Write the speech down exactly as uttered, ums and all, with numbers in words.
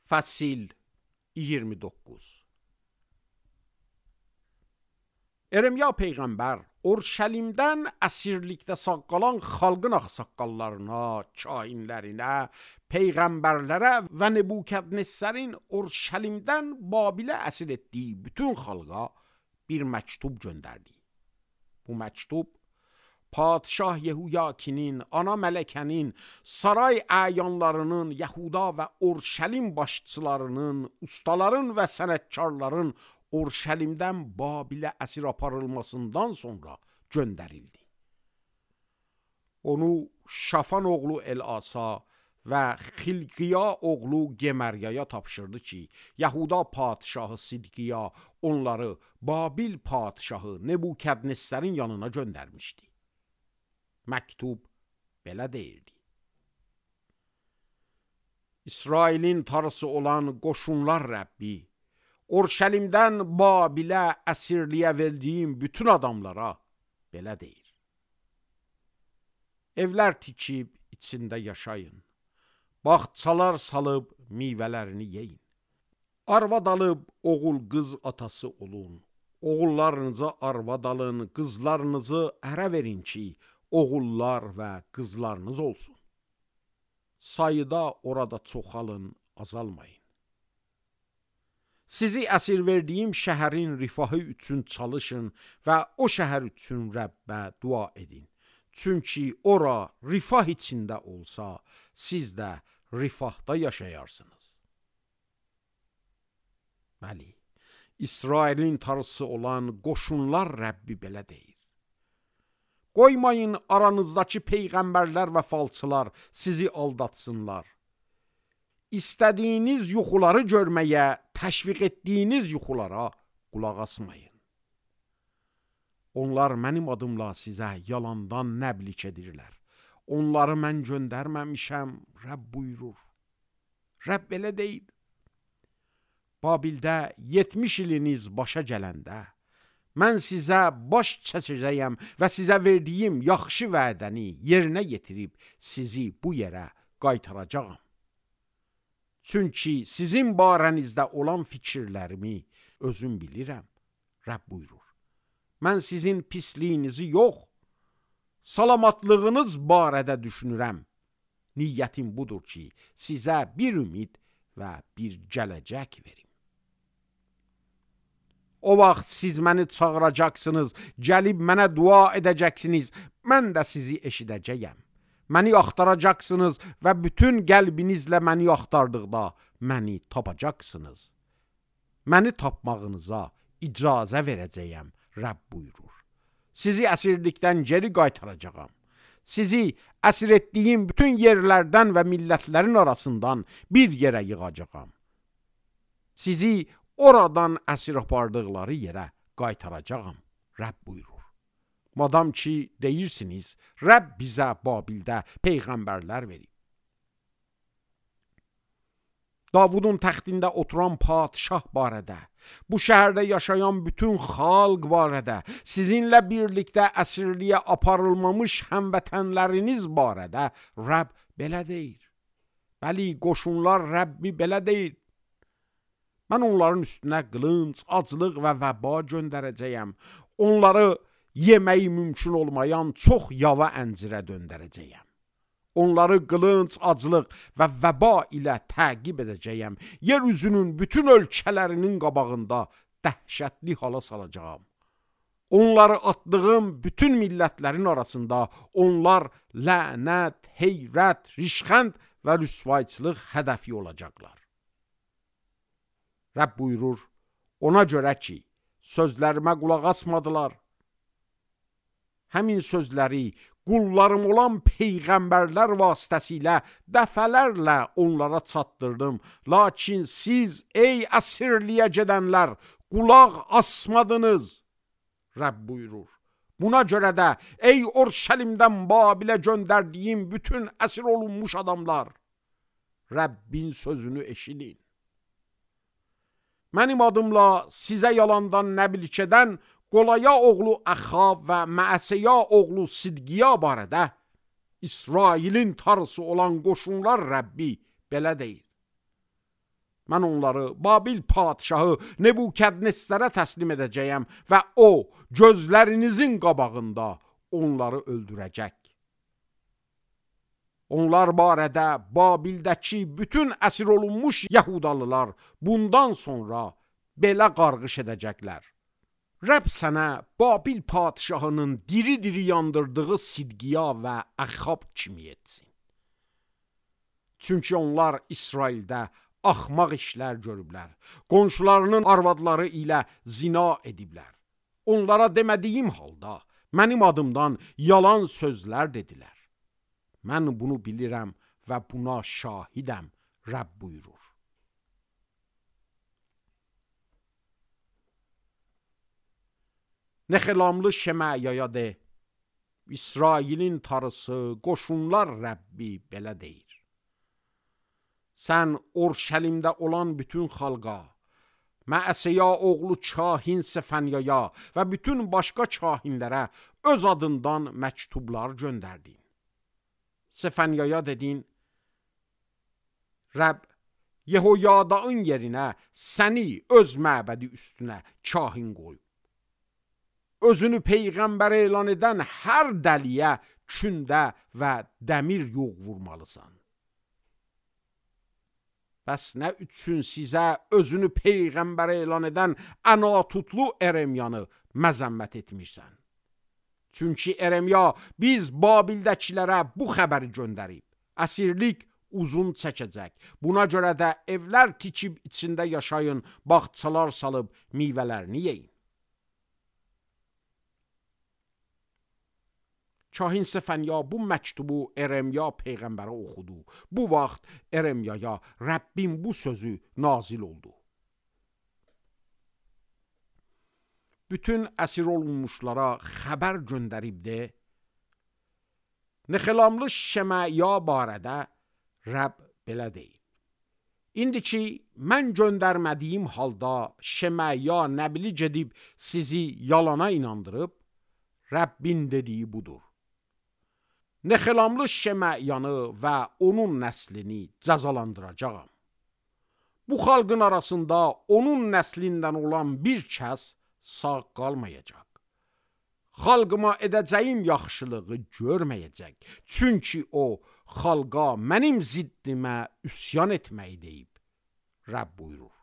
Fəsil iyirmi doqquz. Eremya peyğəmbər Urşəlimdən əsirlikdə sağ qalan xalqın ağsaqqallarına, kahinlərinə, peyğəmbərlərə və Nebukadnezərin Urşəlimdən Babilə əsir etdiyi bütün xalqa bir məktub göndərdi. Bu məktub Padişah Yehuyakinin, ana mələkənin, saray əyanlarının, Yahuda və Urşəlim başçılarının, ustaların və sənətkarların Urşəlimdən Babilə əsir aparılmasından sonra göndərildi. Onu Şafan oğlu El-Asa və Xilqiya oğlu Geməryaya tapşırdı ki, Yahuda padişahı Sidqiya onları Babil padişahı Nebukadnezərin yanına göndərmişdi. Məktub belə deyirdi. İsrailin tarısı olan qoşunlar Rəbbi, Urşəlimdən Babilə əsirliyə verdiyim bütün adamlara belə deyir. Evlər tikib içində yaşayın, bağçalar salıb meyvələrini yeyin. Arvad alıb oğul qız atası olun, oğullarınıza arvad alın, qızlarınızı ərə verin ki, oğullar və qızlarınız olsun. Sayıda orada çoxalın, azalmayın. Sizi əsir verdiyim şəhərin rifahı üçün çalışın və o şəhər üçün Rəbbə dua edin. Çünki ora rifah içində olsa, siz də rifahda yaşayarsınız. Bəli, İsrailin tarısı olan qoşunlar Rəbbi belə deyir. Qoymayın aranızdakı peyğəmbərlər və falçılar sizi aldatsınlar. İstədiyiniz yuxuları görməyə, təşviq etdiyiniz yuxulara qulaq asmayın. Onlar mənim adımla sizə yalandan nəblik edirlər. Onları mən göndərməmişəm, Rəbb buyurur. Rəbb belə deyir. Babildə yetmiş iliniz başa gələndə, mən sizə baş çəkəcəyəm və sizə verdiyim yaxşı vədəni yerinə yetirib sizi bu yerə qaytaracağam. Çünki sizin barənizdə olan fikirlərimi özüm bilirəm, Rəbb buyurur. Mən sizin pisliyinizi yox, salamatlığınız barədə düşünürəm. Niyyətim budur ki, sizə bir ümid və bir gələcək verim. O vaxt siz məni çağıracaqsınız, gəlib mənə dua edəcəksiniz, mən də sizi eşidəcəyəm. Məni axtaracaqsınız və bütün qəlbinizlə məni axtardıqda məni tapacaqsınız. Məni tapmağınıza icazə verəcəyəm, Rəbb buyurur. Sizi əsirlikdən geri qaytaracağam. Sizi əsir etdiyim bütün yerlərdən və millətlərin arasından bir yerə yığacağam. Sizi oradan əsir apardıqları yerə qaytaracağam, Rəbb buyurur. Madam ki, deyirsiniz, Rəbb bizə Babildə peyğəmbərlər verib. Davudun təxtində oturan padişah barədə, bu şəhərdə yaşayan bütün xalq barədə, sizinlə birlikdə əsirliyə aparılmamış həmvətənləriniz barədə Rəbb belə deyir. Bəli, qoşunlar Rəbbi belə deyir. Mən onların üstünə qılınc, aclıq və vəba göndərəcəyəm. Onları yeməyi mümkün olmayan çox yava əncirə döndərəcəyəm. Onları qılınc, aclıq və vəba ilə təqib edəcəyəm. Yer üzünün bütün ölkələrinin qabağında dəhşətli hala salacağam. Onları atdığım bütün millətlərin arasında onlar lənət, heyrət, rişxənd və rüsvayçılıq hədəfi olacaqlar. Rəbb buyurur, ona görə ki, sözlərimə qulaq asmadılar. Həmin sözləri qullarım olan peyğəmbərlər vasitəsilə dəfələrlə onlara çatdırdım. Lakin siz, ey əsirliyə gedənlər, qulaq asmadınız, Rəbb buyurur. Buna görə də, ey Urşəlimdən Babilə göndərdiyim bütün əsir olunmuş adamlar, Rəbbin sözünü eşidin. Mənim adımla sizə yalandan nəblik edən Qolaya oğlu Əxab və Məəsəya oğlu Sidqiya barədə İsrailin tarısı olan qoşunlar Rəbbi belə deyir. Mən onları Babil padşahı Nebukadnesərə təslim edəcəyəm və o, gözlərinizin qabağında onları öldürəcək. Onlar barədə Babildəki bütün əsir olunmuş Yahudalılar bundan sonra belə qarğış edəcəklər. Rəbb sənə Babil padşahının diri-diri yandırdığı Sidqiya və Əxab kimi etsin. Çünki onlar İsraildə axmaq işlər görüblər. Qonşularının arvadları ilə zina ediblər. Onlara demədiyim halda mənim adımdan yalan sözlər dedilər. Mən bunu bilirəm və buna şahidəm, Rəbb buyurur. Nexelamlı Şemayaya de, İsrailin tarısı, qoşunlar Rəbbi belə deyir. Sən Orşəlimdə olan bütün xalqa, Məəsəya oğlu kahin Sefanyaya və bütün başqa kahinlərə öz adından məktublar göndərdin. Sefanyaya dedin, Rəbb, Yehoyadağın yerinə səni öz məbədi üstünə kahin qoyub. Özünü peyğəmbər elan edən hər dəliyə kündə və dəmir yoğ vurmalısan. Bəs nə üçün sizə özünü peyğəmbər elan edən Ənatutlu Eremyanı məzəmmət etmişsən? Çünki Eremya biz Babildəkilərə bu xəbəri göndərib. Əsirlik uzun çəkəcək. Buna görə də evlər tikib içində yaşayın, bağçalar salıb meyvələrini yeyin. Kahin Sefanya bu məktubu Eremya peyğəmbərə oxudu. Bu vaxt Eremyaya Rəbbin bu sözü nazil oldu. Bütün əsir olunmuşlara xəbər göndərib de, Nexelamlı Şemaya barədə Rəbb belə deyir. İndi ki, mən göndərmədiyim halda Şemaya nəbili gedib sizi yalana inandırıb, Rəbbin dediyi budur. Nexelamlı Şemayanı və onun nəslini cəzalandıracağam. Bu xalqın arasında onun nəslindən olan bir kəs sağ qalmayacaq. Xalqıma edəcəyim yaxşılığı görməyəcək. Çünki o, xalqa mənim ziddimə üsyan etməyi deyib, Rəbb buyurur.